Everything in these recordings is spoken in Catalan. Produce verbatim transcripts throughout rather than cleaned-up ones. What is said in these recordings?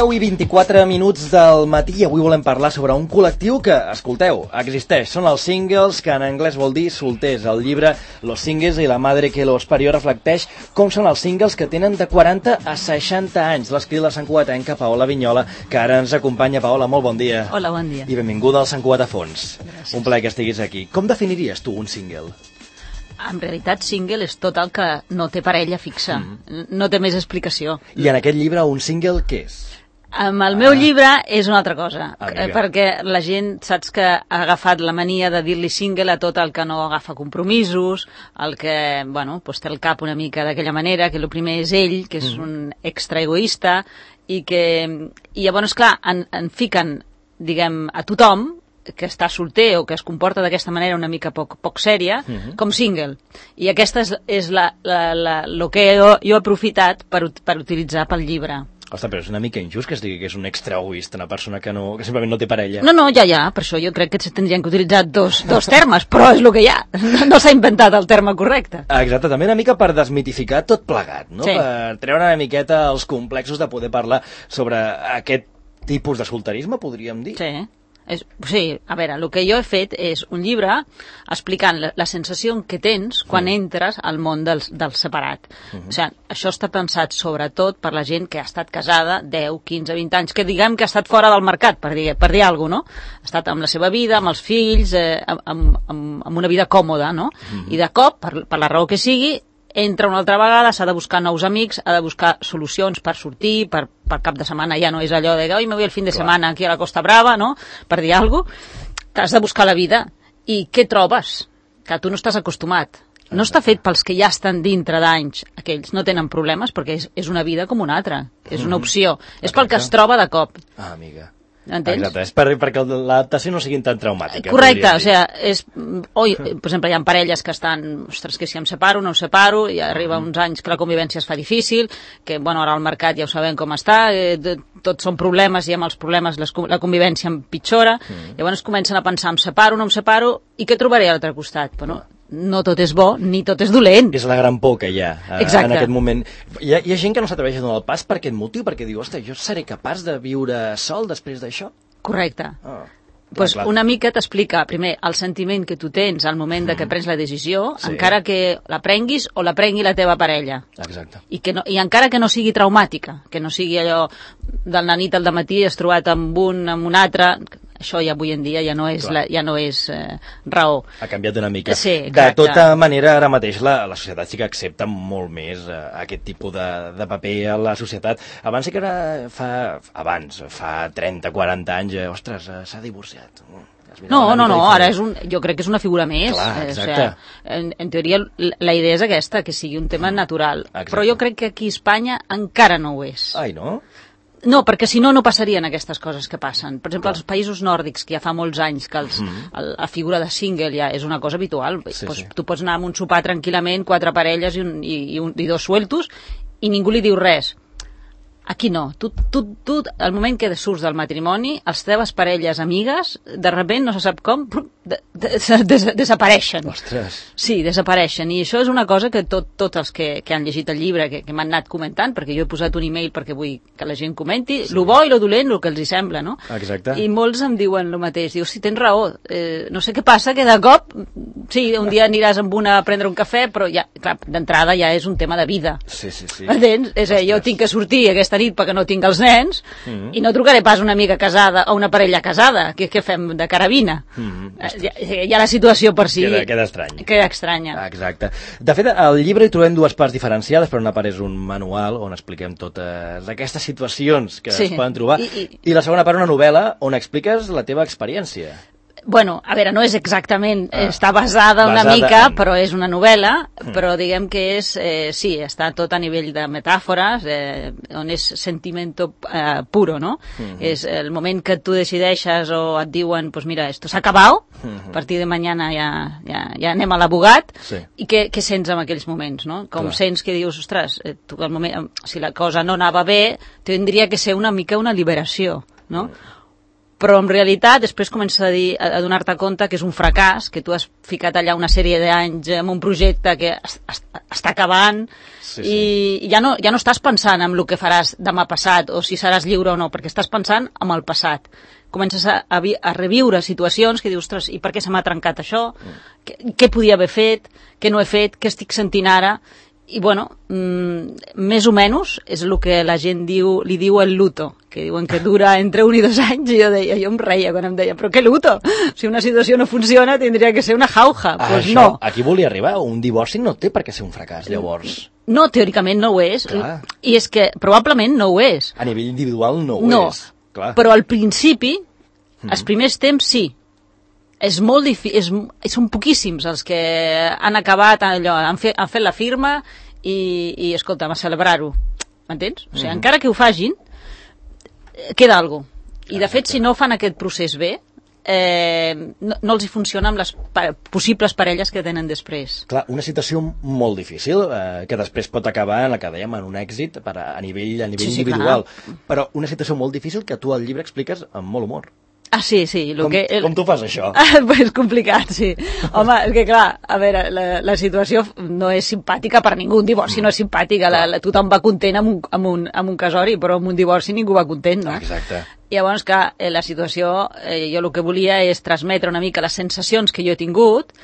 deu i vint-i-quatre minuts del matí i avui volem parlar sobre un col·lectiu que, escolteu, existeix. Són els singles, que en anglès vol dir solters. El llibre Los Singles i la madre que los parió reflecteix com són els singles que tenen de quaranta a seixanta anys. L'escrit la santcugatenca Paola Vignola, que ara ens acompanya. Paola, molt bon dia. Hola, bon dia. I benvinguda al Sant Cugat a Fons. Gràcies. Un plaer que estiguis aquí. Com definiries tu un single? En realitat, single és tot el que no té parella fixa. Mm. No té més explicació. I en aquest llibre, un single, què és? Amb el meu ah. llibre és una altra cosa, Amiga. perquè la gent, saps que ha agafat la mania de dir-li single a tot el que no agafa compromisos, el que, bueno, pues té el cap una mica d'aquella manera, que el primer és ell, que és mm. un extra egoista, i que, i llavors, clar, en, en fiquen, diguem, a tothom, que està solter o que es comporta d'aquesta manera una mica poc, poc sèria, uh-huh. com single. I aquesta és, és la, la, la, lo que jo, jo he aprofitat per, per utilitzar pel llibre. Ostres, però és una mica injust que es digui que és un extra egoista, una persona que, no, que simplement no té parella. No, no, ja, ja, per això jo crec que se tindrien que utilitzar dos, dos termes, però és el que hi ha. No, no s'ha inventat el terme correcte. Exacte, també una mica per desmitificar tot plegat, no? Sí. Per treure una miqueta els complexos de poder parlar sobre aquest tipus de solterisme, podríem dir. Sí. És, sí, a veure, el que jo he fet és un llibre explicant la, la sensació que tens quan mm. entres al món del, del separat. Mm-hmm. O sigui, això està pensat sobretot per la gent que ha estat casada deu, quinze, vint anys, que diguem que ha estat fora del mercat, per dir, per dir alguna cosa, no? Ha estat amb la seva vida, amb els fills, eh, amb, amb, amb una vida còmoda, no? Mm-hmm. I de cop, per, per la raó que sigui, entra una altra vegada, s'ha de buscar nous amics, ha de buscar solucions per sortir, per, per cap de setmana ja no és allò de oi, me vull el fin de Clar. setmana aquí a la Costa Brava, no? Per dir alguna cosa, t'has de buscar la vida. I què trobes? Que tu no estàs acostumat. No està fet pels que ja estan dintre d'anys, aquells no tenen problemes perquè és, és una vida com una altra, és una opció. Mm-hmm. És pel que es troba de cop. Ah, amiga. Entens? Exacte, és per, perquè l'adaptació no sigui tan traumàtica. Correcte, o sigui, és, oi, per exemple, hi ha parelles que estan, ostres, que si em separo, no em separo, i arriba uns anys que la convivència es fa difícil, que, bueno, ara al mercat ja ho sabem com està, eh, tots són problemes, i amb els problemes les, la convivència empitjora, mm. llavors comencen a pensar, em separo, no em separo, i què trobaré a l'altre costat? Bueno, no tot és bo, ni tot és dolent. És la gran por que hi ha eh, en aquest moment. Hi ha, hi ha gent que no s'atreveix a donar el pas per aquest motiu, perquè diu, ostres, jo seré capaç de viure sol després d'això? Correcte. Oh. Pues clar, clar. una mica t'explica, primer, el sentiment que tu tens al moment de que prens la decisió, sí. encara que la prenguis o la prengui la teva parella. Exacte. I, que no, I encara que no sigui traumàtica, que no sigui allò del nanit al dematí has trobat amb un, amb un altre, això ja avui en dia ja no és, la, ja no és eh, raó. Ha canviat una mica. Sí, de tota manera, ara mateix la, la societat sí que accepta molt més eh, aquest tipus de, de paper a la societat. Abans sí que era fa, abans, fa trenta, quaranta anys, eh, ostres, eh, s'ha divorciat. No, no, no, ara és un, jo crec que és una figura més. Clar, eh, o sigui, en, en teoria la idea és aquesta, que sigui un tema natural. Exacte. Però jo crec que aquí a Espanya encara no ho és. Ai, no? No, perquè si no, no passarien aquestes coses que passen. Per exemple, als països nòrdics, que ja fa molts anys que els, mm. el, la figura de single ja és una cosa habitual. Sí, pues, sí. Tu pots anar a un sopar tranquil·lament, quatre parelles i, un, i, i, un, i dos sueltos, i ningú li diu res. Aquí no. Tu, tu, tu, al moment que surts del matrimoni, les teves parelles amigues, de sobte, no se sap com, de, de, de, desapareixen. Ostres. Sí, desapareixen. I això és una cosa que tot, tots els que, que han llegit el llibre, que, que m'han anat comentant, perquè jo he posat un e-mail perquè vull que la gent comenti, sí. lo bo i lo dolent, el que els hi sembla, no? Exacte. I molts em diuen el mateix. Diu, sí, tens raó. Eh, no sé què passa, que de cop, sí, un dia aniràs amb una a prendre un cafè, però ja, clar, d'entrada ja és un tema de vida. Sí, sí, sí. Entens? És a dir, jo tinc que sortir aquesta nit perquè no tinc els nens, mm-hmm. i no trucaré pas una amiga casada o una parella casada. Què, què fem de carabina? Mm-hmm. Ja, ja la situació per si... Queda, queda estrany. Queda estranya. Exacte. De fet, al llibre hi trobem dues parts diferenciades, però una part és un manual on expliquem totes aquestes situacions que sí. es poden trobar, I, i... i la segona part una novel·la on expliques la teva experiència. Bueno, a veure, no és exactament, ah, està basada una basada mica, en... però és una novel·la, mm. però diguem que és, eh, sí, està tot a nivell de metàfores, eh, on és sentimiento eh, puro, no? Mm-hmm. És el moment que tu decideixes o et diuen, pues mira, esto s'ha acabat, mm-hmm. a partir de mañana ja, ja, ja anem a l'abogat, sí. i què, què sents en aquells moments, no? Com Clar. Sents que dius, ostres, eh, tu, el moment, si la cosa no anava bé, tindria que ser una mica una liberació, no? Mm. però en realitat després comences a, dir, a donar-te compte que és un fracàs, que tu has ficat allà una sèrie d'anys en un projecte que es, es, està acabant, sí, sí. i ja no, ja no estàs pensant en el que faràs demà passat o si seràs lliure o no, perquè estàs pensant en el passat. Comences a, a, a reviure situacions que dius, ostres, i per què se m'ha trencat això? Mm. Què, què podia haver fet? Què no he fet? Què estic sentint ara? I, bueno, mmm, més o menys és el que la gent diu, li diu el luto, que diuen que dura entre un i dos anys, i jo deia, jo em reia quan em deia, però què luto? Si una situació no funciona, tindria que ser una jauja. Doncs pues no. Aquí volia arribar, un divorci no té per què ser un fracàs, llavors. No, teòricament no ho és, clar. I és que probablement no ho és. A nivell individual no ho no. és. Clar. Però al principi, mm. els primers temps sí. És molt difícil, són poquíssims els que han acabat allò, han fet, han fet la firma i, i escolta'm, a celebrar-ho. M'entens? O sigui, mm. encara que ho fagin, queda alguna cosa. I de fet, si no fan aquest procés bé, eh, no, no els hi funciona amb les pa possibles parelles que tenen després. Clar, una situació molt difícil, eh, que després pot acabar en el que dèiem, en un èxit per a, a nivell, a nivell sí, sí, individual. Clar. Però una situació molt difícil que tu al llibre expliques amb molt humor. Ah, sí, sí. Lo com, que, el... com tu fas això? Ah, és complicat, sí. Home, és que clar, a veure, la, la situació no és simpàtica per ningú, un divorci no és simpàtica, la, la, tothom va content amb un, amb, un, amb un casori, però amb un divorci ningú va content, no? Exacte. I llavors, clar, la situació, eh, jo el que volia és transmetre una mica les sensacions que jo he tingut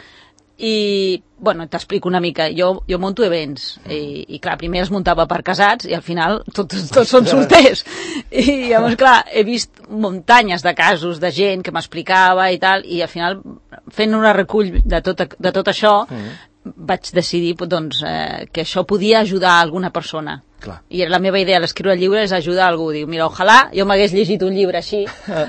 i, bueno, t'explico una mica. Jo, jo monto events i, i, clar, primer es muntava per casats i al final tots, tots són solters. I llavors, clar, he vist muntanyes de casos de gent que m'explicava i tal, i al final, fent una recull de tot, de tot això, mm. vaig decidir doncs, eh, que això podia ajudar a alguna persona. Clar. I la meva idea a l'escriure el llibre és ajudar a algú. Diu, mira, ojalà jo m'hagués llegit un llibre així.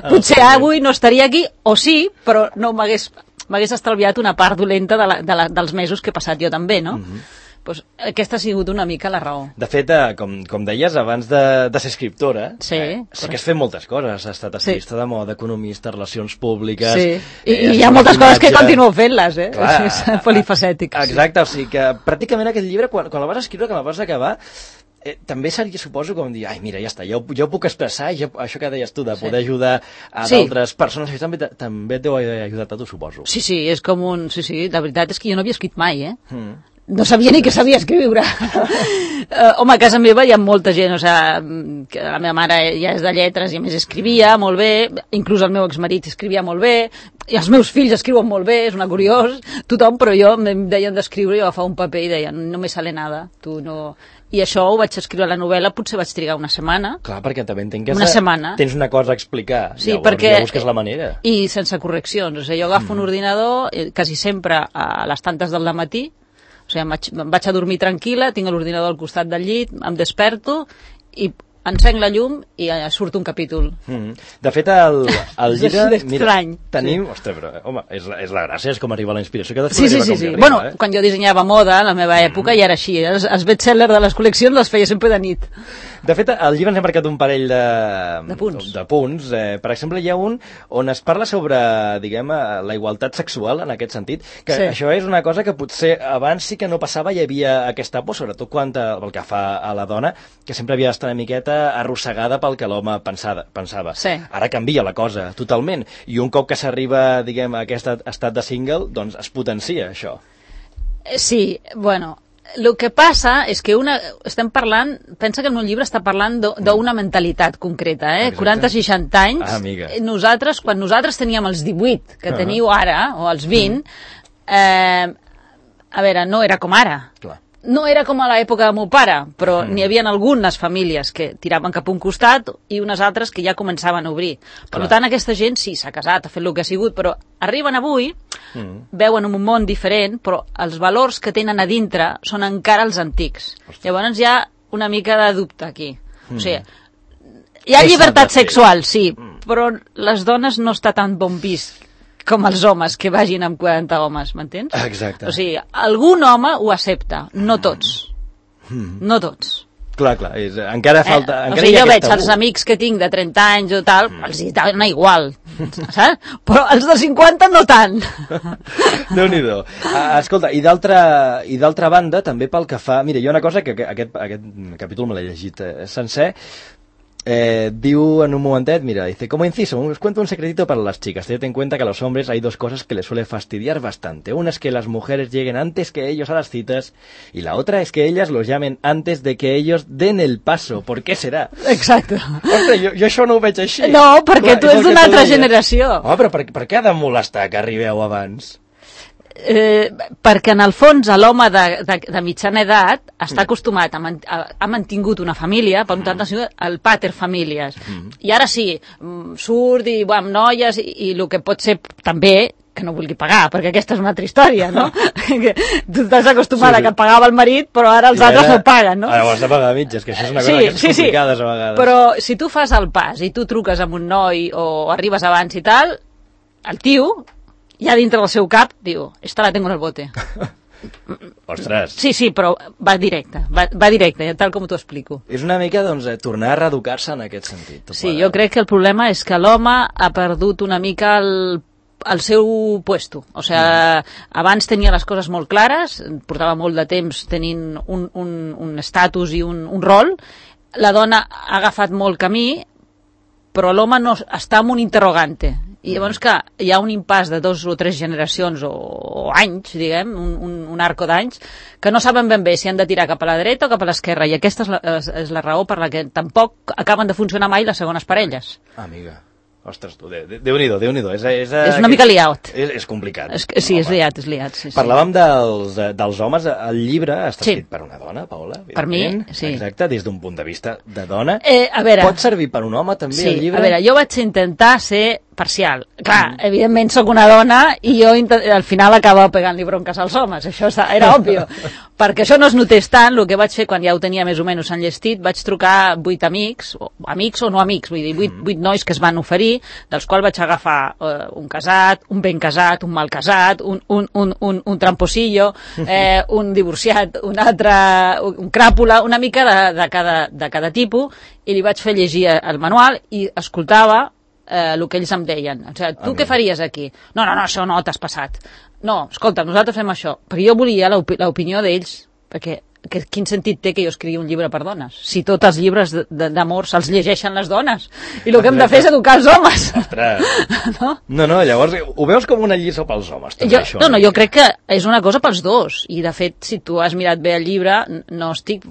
Potser avui no estaria aquí, o sí, però no m'hagués m'hagués estalviat una part dolenta de la, de la, dels mesos que he passat jo també, no? Mm-hmm. Pues aquesta ha sigut una mica la raó. De fet, eh, com, com deies, abans de, de ser escriptora, sí, eh, sí que has fet moltes coses. Has estat activista sí. de moda, economista, relacions públiques... Sí, i, eh, i hi ha moltes coses que continuo fent-les, eh? Clar, és polifacètic. Exacte, sí. O sigui que pràcticament aquest llibre, quan, quan la vas escriure, quan la vas acabar, Eh, també seria, suposo, com dir, ai, mira, ja està, jo, jo puc expressar, jo, això que deies tu, de poder sí. ajudar a sí. d'altres persones, això també, també t'ho ha ajudat a tu, suposo. Sí, sí, és com un... Sí, sí, la veritat és que jo no havia escrit mai, eh? Mm. No sabia ni que sabia escriure. uh, home, a casa meva hi ha molta gent, o sigui, que la meva mare ja és de lletres i a més escrivia molt bé, inclús el meu exmarit escrivia molt bé, i els meus fills escriuen molt bé, és una curiós, tothom, però jo em deien d'escriure, jo agafava un paper i deia, no me sale nada, tu no... I això ho vaig escriure a la novel·la, potser vaig trigar una setmana. Clar, perquè també entenc que una de... setmana. tens una cosa a explicar, sí, llavors perquè... ja busques la manera. I sense correccions, o sigui, jo agafo mm. un ordinador eh, quasi sempre a les tantes del matí, o sigui, em vaig, em vaig a dormir tranquil·la, tinc l'ordinador al costat del llit, em desperto i encenc la llum i surt un capítol. Mm. De fet, el, el llibre... Mira, tenim... Sí. Ostres, però, home, és la, és la gràcia, és com arriba la inspiració. Que sí, sí, sí. sí. Arriba, bueno, eh? Quan jo dissenyava moda, a la meva època, mm. ja era així. Els, els best-sellers de les col·leccions els feia sempre de nit. De fet, al llibre ens hem marcat un parell de, de punts. De punts. Eh, per exemple, hi ha un on es parla sobre, diguem, la igualtat sexual, en aquest sentit, que sí. això és una cosa que potser abans sí que no passava, hi havia aquesta por, sobretot quan el que fa a la dona, que sempre havia d'estar una miqueta arrossegada pel que l'home pensava. pensava. Sí. Ara canvia la cosa, totalment. I un cop que s'arriba, diguem, a aquest estat de single, doncs es potencia això. Sí, bueno... El que passa és que una, estem parlant, pensa que en un llibre està parlant d'una mentalitat concreta, eh? Exacte. quaranta seixanta anys, ah, amiga. nosaltres, quan nosaltres teníem els divuit, que uh-huh. teniu ara, o els vint, uh-huh. eh, a veure, no era com ara. Clar. No era com a l'època del meu pare, però mm. n'hi havia algunes famílies que tiraven cap a un costat i unes altres que ja començaven a obrir. Per Clar. tant, aquesta gent sí, s'ha casat, ha fet el que ha sigut, però arriben avui, mm. veuen un món diferent, però els valors que tenen a dintre són encara els antics. Ostres. Llavors hi ha una mica de dubte aquí. Mm. O sigui, hi ha llibertat sexual, sí, mm. però les dones no està tan bon vist com els homes que vagin amb quaranta homes, m'entens? Exacte. O sigui, algun home ho accepta, no tots. Mm. No tots. Clar, clar, és, encara falta... Eh? Encara o sigui, jo veig tabú. els amics que tinc de trenta anys o tal, mm. els hi dona igual, saps? Però els de cinquanta no tant. Déu-n'hi-do. Uh, escolta, i d'altra banda, també pel que fa... Mira, hi ha una cosa que aquest, aquest capítol me l'he llegit eh, sencer. Eh, diu en un momentet, mira, dice, como inciso, os cuento un secretito para las chicas. Tened en cuenta que a los hombres hay dos cosas que les suele fastidiar bastante. Una es que las mujeres lleguen antes que ellos a las citas y la otra es que ellas los llamen antes de que ellos den el paso. ¿Por qué serà? Exacte. Ostres, jo, jo això no ho veig així. No, perquè Clar, tu ets d'una altra deies. generació. Home, però per, per què ha de molestar que arribeu abans? Eh, perquè en el fons l'home de, de, de mitjana edat està acostumat, a, man, a, ha mantingut una família, per tant ha sigut el pater famílies, mm. i ara sí, surt i va amb noies i, i el que pot ser també que no vulgui pagar, perquè aquesta és una altra història, no? Que tu estàs acostumada sí, sí. que pagava el marit, però ara els I altres ara, no paguen, no? Ara ho has de pagar a mitges, que això és una cosa sí, que és sí, complicada sí. a vegades. Però si tu fas el pas i tu truques amb un noi o arribes abans i tal, el tio ja dintre del seu cap diu, esta la tengo en el bote. Ostres. Sí, sí, però va directe, va, va directe, tal com t'ho explico. És una mica, doncs, tornar a reeducar-se en aquest sentit. Sí, jo crec que el problema és que l'home ha perdut una mica el, el seu puesto. O sigui, mm. abans tenia les coses molt clares, portava molt de temps tenint un, un, un estatus i un, un rol. La dona ha agafat molt camí, però l'home no, està en un interrogante. I llavors que hi ha un impàs de dos o tres generacions o, o anys, diguem, un, un, un arco d'anys, que no saben ben bé si han de tirar cap a la dreta o cap a l'esquerra, i aquesta és la, és, és la raó per la que tampoc acaben de funcionar mai les segones parelles. Amiga. Ostres, tu, Déu-n'hi-do, Déu-n'hi-do. És, és, és una mica liat. És, és complicat. És, sí, és liat, és liat. Sí, sí. Parlàvem dels, dels homes. El llibre està sí. escrit per una dona, Paola. Per mi, sí. Exacte, des d'un punt de vista de dona. Eh, a veure, pot servir per un home, també, sí, el llibre? A veure, jo vaig intentar ser parcial. Clar, mm. evidentment sóc una dona i jo al final acabava pegant-li bronques als homes, això era òbvio. Perquè això no es notés tant, el que vaig fer quan ja ho tenia més o menys enllestit, vaig trucar vuit amics, o amics o no amics, vull dir, vuit, mm. vuit nois que es van oferir, dels quals vaig agafar uh, un casat, un ben casat, un mal casat, un, un, un, un, un tramposillo, eh, un divorciat, un altre, un cràpula, una mica de, de, cada, de cada tipus, i li vaig fer llegir el manual i escoltava eh, el que ells em deien. O sigui, tu ah, què faries aquí? No, no, no, això no, t'has passat. No, escolta, nosaltres fem això. Però jo volia l'opinió d'ells, perquè que, quin sentit té que jo escrigui un llibre per dones? Si tots els llibres d'amor se'ls llegeixen les dones, i el que hem de fer és educar els homes. no? no, no, llavors ho veus com una lliçó pels homes, també, jo, això. No, no, jo crec que és una cosa pels dos, i de fet, si tu has mirat bé el llibre, no estic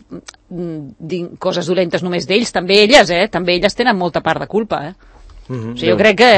dient coses dolentes només d'ells, també elles, eh? També elles tenen molta part de culpa, eh? Mm-hmm. O sigui, jo crec que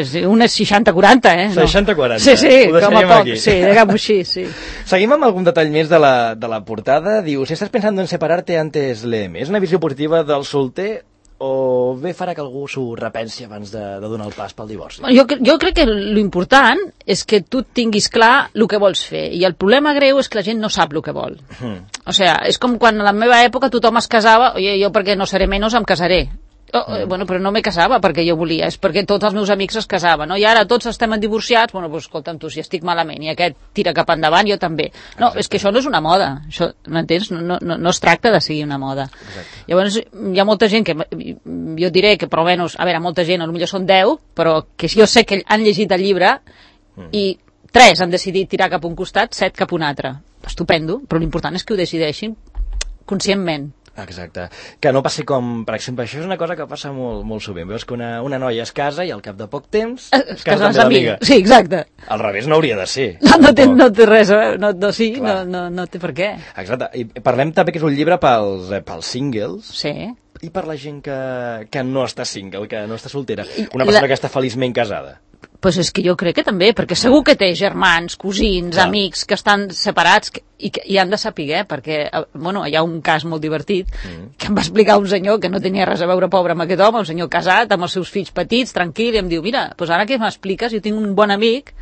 és un és seixanta quaranta, eh? No. seixanta quaranta. Sí, sí, ho com a poc. Aquí. Sí, diguem-ho així, sí. Seguim amb algun detall més de la, de la portada. Diu, si estàs pensant en separarte antes léeme. És una visió positiva del solter o bé farà que algú s'ho repensi abans de, de donar el pas pel divorci? Jo, jo crec que l'important és que tu tinguis clar el que vols fer, i el problema greu és que la gent no sap el que vol. Mm. O sigui, és com quan a la meva època tothom es casava, oye, jo perquè no seré menys em casaré. Oh, mm. Bueno, però no me casava perquè jo volia, és perquè tots els meus amics es casaven, no? I ara tots estem divorciats, bueno, doncs escolta'm tu, si estic malament i aquest tira cap endavant, jo també. No, exacte. És que això no és una moda, això, m'entens? No, no, no es tracta de seguir una moda. Exacte. Llavors, hi ha molta gent que, jo diré que, però almenys, a veure, molta gent, potser són deu, però que jo sé que han llegit el llibre mm. i tres han decidit tirar cap a un costat, set cap a un altre. Estupendo, però l'important és que ho decideixin conscientment. Exacte. Que no passi com, per exemple, això és una cosa que passa molt, molt sovint. Veus que una, una noia es casa i al cap de poc temps es, es casa amb l'amiga. Sí, exacte. Al revés no hauria de ser. No, no, té, no té res, eh? no, no, sí, no, no, no té per què. Exacte. I parlem també que és un llibre pels, pels singles. Sí. I per la gent que, que no està single, que no està soltera. Una persona la... que està feliçment casada. Pues és que jo crec que també, perquè segur que té germans, cosins, clar, amics que estan separats que, i, que, i han de saber, perquè bueno, hi ha un cas molt divertit mm. que em va explicar un senyor que no tenia res a veure pobre amb aquest home, un senyor casat amb els seus fills petits, tranquil, i em diu, mira, pues ara que m'expliques, jo tinc un bon amic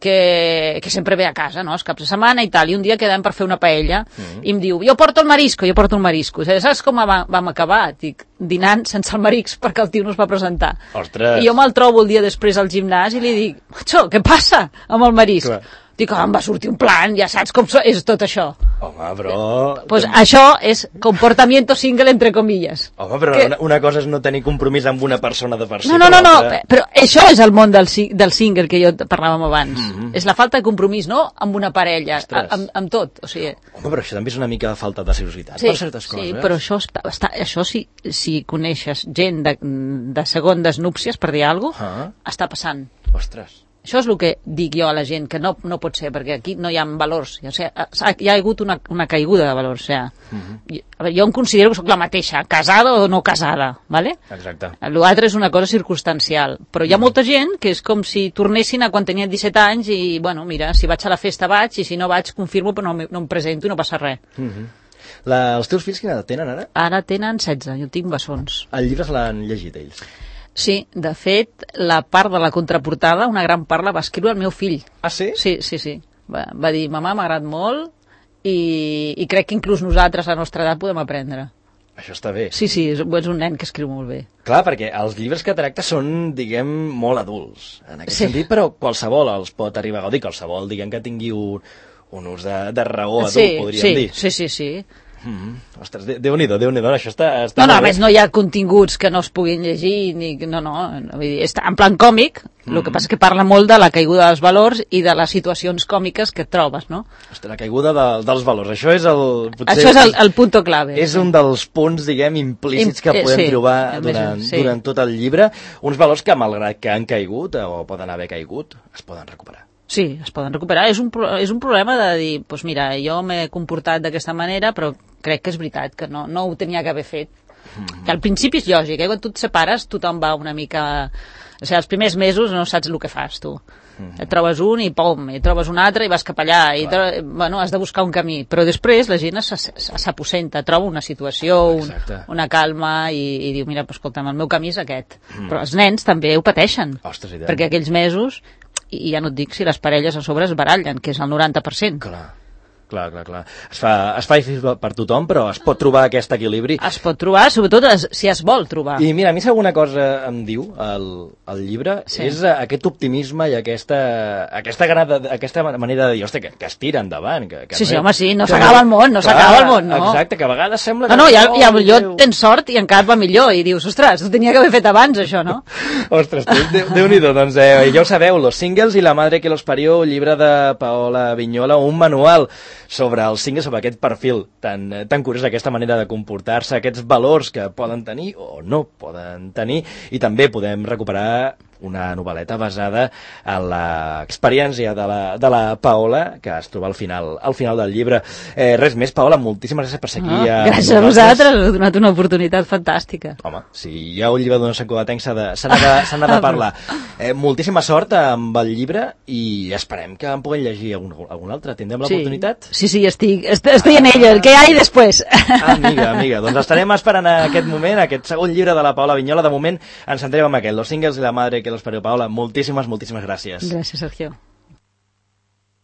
que, que sempre ve a casa, no?, els caps de setmana i tal, i un dia quedem per fer una paella, mm. i em diu, jo porto el marisco, jo porto el marisco. O sigui, saps com vam, vam acabar? Dic, dinant sense el marisc perquè el tio no es va presentar. Ostres. I jo me'l trobo el dia després al gimnàs i li dic, macho, què passa amb el marisc? Clar. Dic, oh, em va sortir un plan, ja saps com so- és tot això. Home, però... Pues això és comportamiento single, entre comillas. Home, però que... una, una cosa és no tenir compromís amb una persona de per si. No, no, no, no, però això és el món del, del single que jo parlàvem abans. Mm -hmm. És la falta de compromís, no amb una parella, amb, amb tot. O sigui... Home, però això també és una mica de falta de seriositat sí, per certes coses. Sí, però això, està, està, això si, si coneixes gent de, de segondes núpcies, per dir alguna cosa, ah. està passant. Ostres. Això és el que dic jo a la gent, que no, no pot ser, perquè aquí no hi ha valors. O sigui, hi ha hagut una, una caiguda de valors. O sigui, uh -huh. a veure, jo em considero que sóc la mateixa, casada o no casada, ¿vale? Exacte. L'altre és una cosa circumstancial. Però hi ha molta gent que és com si tornessin a quan tenien disset anys i, bueno, mira, si vaig a la festa vaig i si no vaig confirmo però no, no em presento i no passa res. Uh -huh. La, els teus fills quina edat tenen ara? Ara tenen setze, jo tinc bessons. El llibre se l'han llegit ells? Sí, de fet, la part de la contraportada, una gran part la va escriure el meu fill. Ah, sí? Sí, sí, sí. Va, va dir, mamà, m'ha agradat molt i, i crec que inclús nosaltres, a la nostra edat, podem aprendre. Això està bé. Sí, sí, és, és un nen que escriu molt bé. Clar, perquè els llibres que tracta són, diguem, molt adults, en aquest sí. sentit, però qualsevol els pot arribar a gaudir, qualsevol, diguem, que tingui un, un ús de, de raó adult, sí, podríem sí, dir. Sí, sí, sí. Mm-hmm. Ostres, Déu-n'hi-do, Déu-n'hi-do, això està, està no, no, a bé. més no hi ha continguts que no es puguin llegir, ni, no, no, vull dir, està en plan còmic, mm. el que passa és que parla molt de la caiguda dels valors i de les situacions còmiques que et trobes, no? Ostres, la caiguda de, dels valors, això és el... Potser això és el, el punto clave. És un dels punts, diguem, implícits que Im, podem sí, trobar durant, sí. durant tot el llibre, uns valors que, malgrat que han caigut, o poden haver caigut, es poden recuperar. Sí, es poden recuperar. És un, és un problema de dir, doncs mira, jo m'he comportat d'aquesta manera, però crec que és veritat que no, no ho tenia que haver fet. Mm-hmm. Que al principi és lògic, eh? Quan tu et separes tothom va una mica... O sigui, els primers mesos no saps el que fas, tu. Mm-hmm. Et trobes un i pom, i trobes un altre i vas cap allà, i tro... bueno, has de buscar un camí. Però després la gent s'aposenta, troba una situació, un, una calma, i, i diu, mira, pues, escolta'm, el meu camí és aquest. Mm. Però els nens també ho pateixen. Ostres, perquè aquells mesos... i ja no et dic si les parelles a sobre es barallen, que és el noranta per cent. Clar, clar, clar, clar. Es fa, es fa difícil per tothom, però es pot trobar aquest equilibri. Es pot trobar, sobretot es, si es vol trobar. I mira, a mi si alguna cosa em diu el, el llibre, sí. és aquest optimisme i aquesta, aquesta, grada, aquesta manera de dir, ostres, que, que es tira endavant. Que, que sí, no, sí, home, sí, no s'acaba el món, no s'acaba el món, no? Exacte, que a vegades sembla que... No, no, ja, ja millor tens sort i encara va millor, i dius, ostres, ho tenia que haver fet abans, això, no? Ostres, Déu-n'hi-do, doncs eh, ja ho sabeu, Los Singles i la madre que los parió, un llibre de Paola Vignola, un manual sobre els singles, sobre aquest perfil tan, tan curiós, aquesta manera de comportar-se, aquests valors que poden tenir o no poden tenir, i també podem recuperar una novel·leta basada en l'experiència de, la, de la Paola, que es troba al final, al final del llibre. Eh, res més, Paola, moltíssimes gràcies per ser aquí. Oh, gràcies a vosaltres, us heu donat una oportunitat fantàstica. Home, si hi ha un llibre d'una sacodatenc s'ha de, de, de, de parlar. Eh, moltíssima sort amb el llibre i esperem que en puguem llegir algun, algun altre. Tindrem l'oportunitat? Sí, sí, sí, estic, estic en ella. El que hi ha després? Amiga, amiga, doncs estarem esperant aquest moment, aquest segon llibre de la Paola Vignola. De moment ens centrem en aquest, Los Singles i la madre que los parió. Paola, moltíssimes, moltíssimes gràcies. Gràcies, Sergio.